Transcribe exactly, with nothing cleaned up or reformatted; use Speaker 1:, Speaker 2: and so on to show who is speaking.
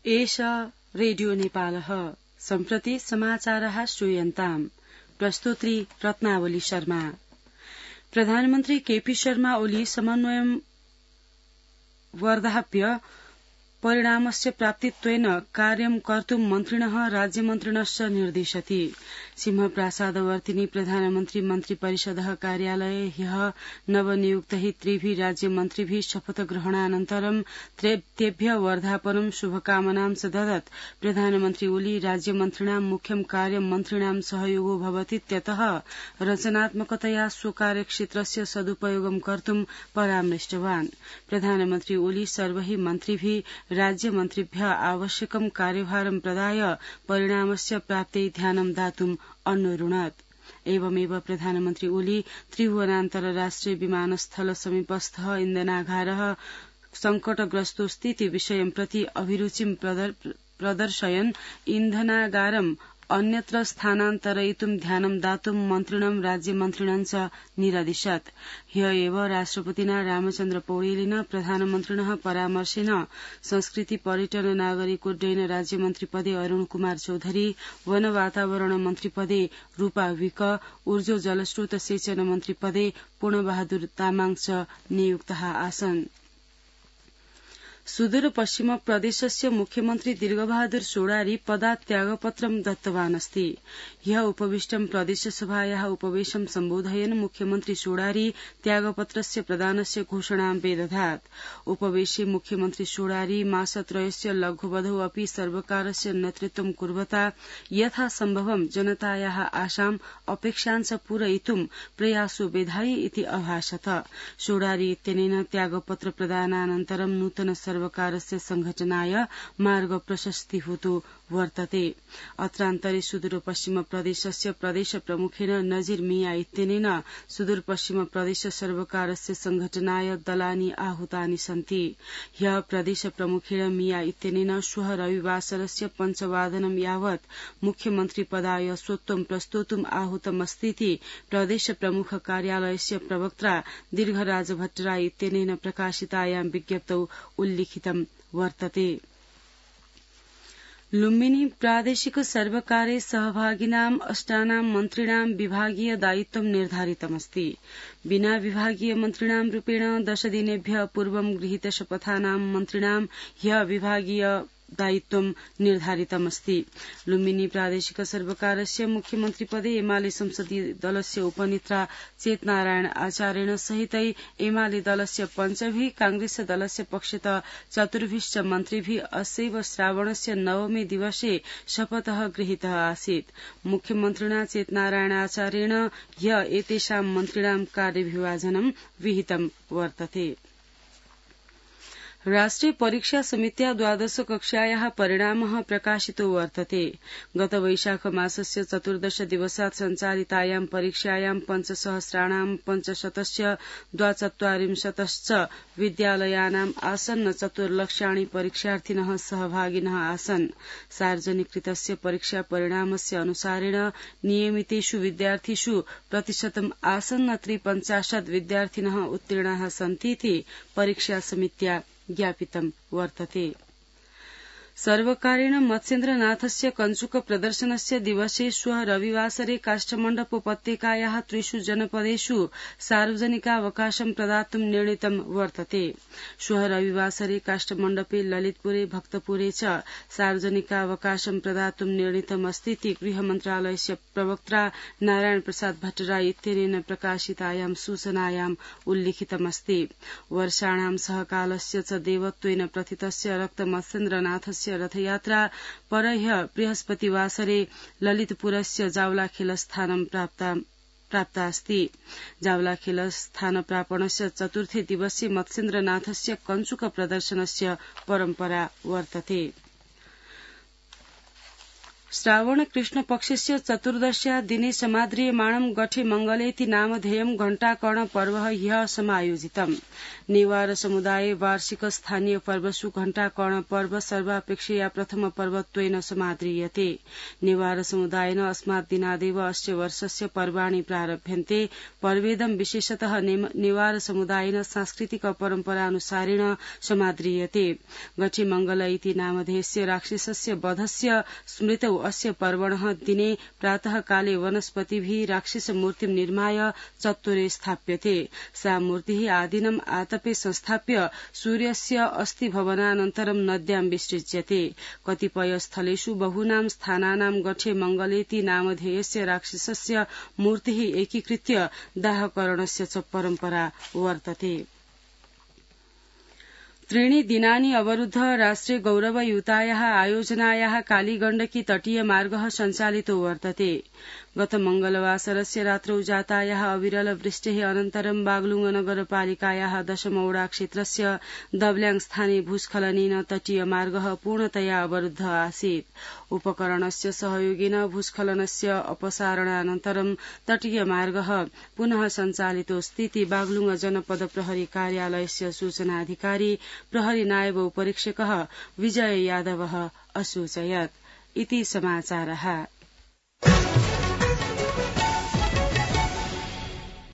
Speaker 1: एष रेडियो नेपालः सम्प्रति समाचारः श्रूयन्ताम् प्रस्तोत्री रत्नावली शर्मा। प्रधानमन्त्री केपी शर्मा ओली समन्वयं वर्धाप्य परिणामस्य प्राप्तित्वेन कार्यं कर्तुं मन्त्रिणः राज्यमन्त्रिणश्च निर्दिशति। सिंहप्रासादवर्तिनी प्रधानमन्त्री मन्त्रिपरिषदः कार्यालये ह्यः नवनियुक्तैः त्रिभिः राज्यमन्त्रिभिः शपथग्रहणानन्तरं तेभ्यः वर्धापनं शुभकामनां च ददत्। प्रधानमन्त्री ओली राज्यमन्त्रिणां मुख्यं कार्यं मन्त्रिणां सहयोगो भवतीत्यतः रचनात्मकतया स्वकार्यक्षेत्रस्य सदुपयोगं कर्तुं परामृष्टवान्। प्रधानमन्त्री ओली सर्वैः मन्त्रिभिः राज्यमन्त्रिभ्यः आवश्यकं कार्यभारं प्रदाय परिणामस्य प्राप्त्यै ध्यानं दातुम् अन्वरुणत्। एवमेव प्रधानमन्त्री ओली त्रिभुवनान्तर्राष्ट्रिय विमानस्थल समीपस्थः इन्धनागारः संकटग्रस्तोऽस्तीति विषयं प्रति अभिरुचिं प्रदर्शयन् इन्धनागारम् अन्यत्र स्थानान्तरयितुं ध्यानं दातुं मन्त्रिणं राज्यमन्त्रिणं च निरदिशत्। ह्य एव राष्ट्रपतिना रामचन्द्र पौडेलेन प्रधानमन्त्रिणः परामर्शेन संस्कृति पर्यटन नागरिकोड्डयन राज्यमन्त्रिपदे अरूण कुमार चौधरी, वन वातावरण मन्त्रिपदे रूपा विक, ऊर्जा जलस्रोत सेचन मन्त्रिपदे पूर्णबहादुर तामाङ च नियुक्ताः आसन्। सुदूर पश्चिम प्रदेशस्य मुख्यमन्त्री दीर्घबहादुर सोडारी पदात् त्यागपत्रं दत्तवान् अस्ति। ह्यः उपविष्टं प्रदेशसभायाः उपवेशं सम्बोधयन् मुख्यमन्त्री सोडारी त्यागपत्रस्य प्रदानस्य घोषणां व्यदधात्। उपवेशे मुख्यमन्त्री सोडारी मासत्रयस्य लघ्ववधौ अपि सर्वकारस्य नेतृत्वं कुर्वता यथासम्भवं जनतायाः आशाम् अपेक्षाञ्च पूरयितुं प्रयासो विधायि इति अभाषत। सोडारी इत्यनेन त्यागपत्र प्रदानानन्तरं नूतन सर्वकारस्य संघटनाय मार्ग प्रशस्तीभूतो वर्तते। अत्रान्तरे सुदूर पश्चिम प्रदेशस्य प्रदेश प्रमुखेन नजीर मिया इत्यनेन सुदूर पश्चिम प्रदेश सर्वकारस्य संघटनाय दलानि आहूतानि सन्ति। ह्यः प्रदेश प्रमुखेन मिया इत्यनेन श्वः रविवासरस्य पञ्चवादनं यावत् मुख्यमन्त्री पदाय स्वत्वं प्रस्तोतुम् आहूतमस्तीति प्रदेश प्रमुख कार्यालयस्य प्रवक्त्रा दीर्घराज भट्टराई इत्यनेन प्रकाशितायां विज्ञप्तौ उल्लिखितं वर्तते। लुम्बिनी प्रादेशिक सर्वकारे सहभागिनाम् अष्टानां मन्त्रिणां विभागीय दायित्वं निर्धारितमस्ति। विना विभागीय मन्त्रिणां रूपेण दशदिनेभ्यः पूर्वं गृहीत शपथानां मन्त्रिणां ह्यः विभागीय दायित्वं निर्धारितमस्ति। लुम्बिनी प्रादेशिक सर्वकारस्य मुख्यमन्त्रिपदे एमाले संसदीय दलस्य उपनेत्रा चेतनारायण आचार्येण सहितै एमाले दलस्य पञ्चभिः, कांग्रेस दलस्य पक्षतः चतुर्भिश्च मन्त्रिभिः अस्यैव श्रावणस्य नवमे दिवसे शपथः गृहीतः आसीत्। मुख्यमन्त्रिणा चेतनारायण आचार्येण ह्यः एतेषां मन्त्रिणां कार्यविभाजनं विहितं वर्तते। राष्ट्रिय परीक्षा समित्या द्वादश कक्षायाः परिणामः प्रकाशितो वर्तते। गत वैशाख मासस्य चतुर्दश दिवसात् सञ्चालितायां परीक्षायां पञ्चसहस्राणां पञ्चशतस्य द्वाचत्वारिंशतश्च विद्यालयानाम् आसन्न चतुर्लक्षाणि परीक्षार्थिनः सहभागिनः आसन्। सार्वजनिकृतस्य परीक्षा परिणामस्य अनुसारेण नियमितेषु विद्यार्थिषु प्रतिशतम् आसन्न त्रिपञ्चाशत् विद्यार्थिनः उत्तीर्णाः सन्तीति परीक्षा समित्या ज्ञापितं वर्तते। सर्वकारेण मत्स्येन्द्रनाथस्य कञ्चुक प्रदर्शनस्य दिवसे श्वः रविवासरे काष्ठमण्डपोपत्यकायाः त्रिषु जनपदेषु सार्वजनिकावकाशं प्रदातुं निर्णीतं वर्तते। श्वः रविवासरे काष्ठमण्डपे ललितपुरे भक्तपुरे च सार्वजनिकावकाशं प्रदातुं निर्णीतमस्तीति गृहमन्त्रालयस्य प्रवक्त्रा नारायण प्रसाद भट्टराई इत्यनेन प्रकाशितायां सूचनायाम् उल्लिखितमस्ति। वर्षाणां सहकालस्य च देवत्वेन प्रथितस्य रक्तमत्स्येन्द्रनाथस्य रथयात्रा परह्य बृहस्पतिवासरे ललितपुरस्य जावलाखेलस्थानं प्राप्ता अस्ति। जावलाखेलस्थानप्रापणस्य चतुर्थे दिवसे मत्स्येन्द्रनाथस्य कञ्चुक प्रदर्शनस्य परम्परा वर्तते। श्रावण कृष्ण पक्षस्य चतुर्दश्या दिने समाद्रियमाणं गठे मंगलेति नामधेयं घण्टाकर्ण पर्व ह्यः समायोजितम्। नेवार समुदाये वार्षिक स्थानीय पर्वसु घण्टाकर्ण पर्व सर्वापेक्षया प्रथम पर्वत्वेन समाद्रियते। नेवार समुदायेन अस्मात् दिनादेव अस्य वर्षस्य पर्वाणि प्रारभ्यन्ते। पर्वेदं विशेषतः नेवार समुदायेन सांस्कृतिक परम्परानुसारेण समाद्रियते। गठे मंगल इति नामधेयस्य राक्षसस्य वधस्य स्मृतौ अस्य पर्वणः दिने प्रातः काले वनस्पतिभिः राक्षसमूर्तिं निर्माय चत्वरे स्थाप्यते। सा मूर्तिः आदिनम् आतपे संस्थाप्य सूर्यस्य अस्थिभवनानन्तरं नद्यां विसृज्यते। कतिपय स्थलेषु बहूनां स्थानानां गठे मंगलेति नामधेयस्य राक्षसस्य मूर्तिः एकीकृत्य दाहकरणस्य च परम्परा वर्तते। त्रीणि दिनानि अवरुद्ध राष्ट्रे गौरवयुतायाः आयोजनायाः कालीगण्डकी तटीय मार्गः सञ्चालितो वर्तते। गत मंगलवासरस्य रात्रौ जातायाः अविरल वृष्टेः अनन्तरं बागलुङ नगरपालिकायाः दशमौडा क्षेत्रस्य दब्ल्याङ स्थाने भूस्खलनेन तटीय मार्गः पूर्णतया अवरुद्ध आसीत्। उपकरणस्य सहयोगेन भूस्खलनस्य अपसारणानन्तरं तटीय मार्गः पुनः सञ्चालितोऽस्तीति बागलुङ जनपद प्रहरी कार्यालयस्य सूचनाधिकारी प्रहरी नायब उपरीक्षकः विजय यादवः असूचयत्। इति समाचारः।